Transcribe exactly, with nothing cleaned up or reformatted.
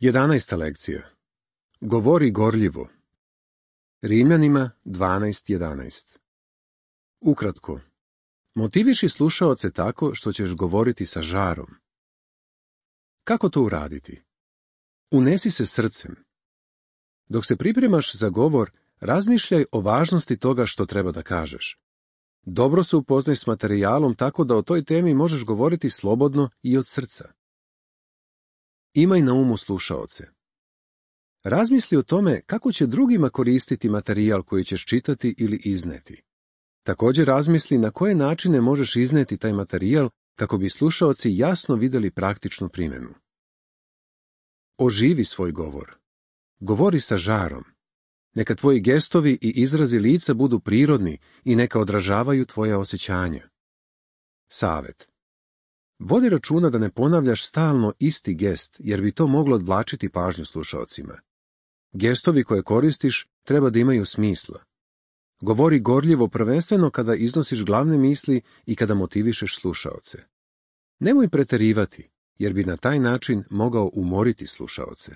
Jedanaesta lekcija. Govori gorljivo. Rimljanima dvanaest jedanaest. Ukratko. Motiviši slušaoce tako što ćeš govoriti sa žarom. Kako to uraditi? Unesi se srcem. Dok se pripremaš za govor, razmišljaj o važnosti toga što treba da kažeš. Dobro se upoznaj s materijalom tako da o toj temi možeš govoriti slobodno i od srca. Imaj na umu slušaoce. Razmisli o tome kako će drugima koristiti materijal koji ćeš čitati ili izneti. Također razmisli na koje načine možeš izneti taj materijal kako bi slušaoci jasno vidjeli praktičnu primjenu. Oživi svoj govor. Govori sa žarom. Neka tvoji gestovi i izrazi lica budu prirodni i neka odražavaju tvoja osjećanja. Savet. Vodi računa da ne ponavljaš stalno isti gest, jer bi to moglo odvlačiti pažnju slušaocima. Gestovi koje koristiš treba da imaju smisla. Govori gorljivo prvenstveno kada iznosiš glavne misli i kada motivišeš slušaoce. Nemoj preterivati, jer bi na taj način mogao umoriti slušaoce.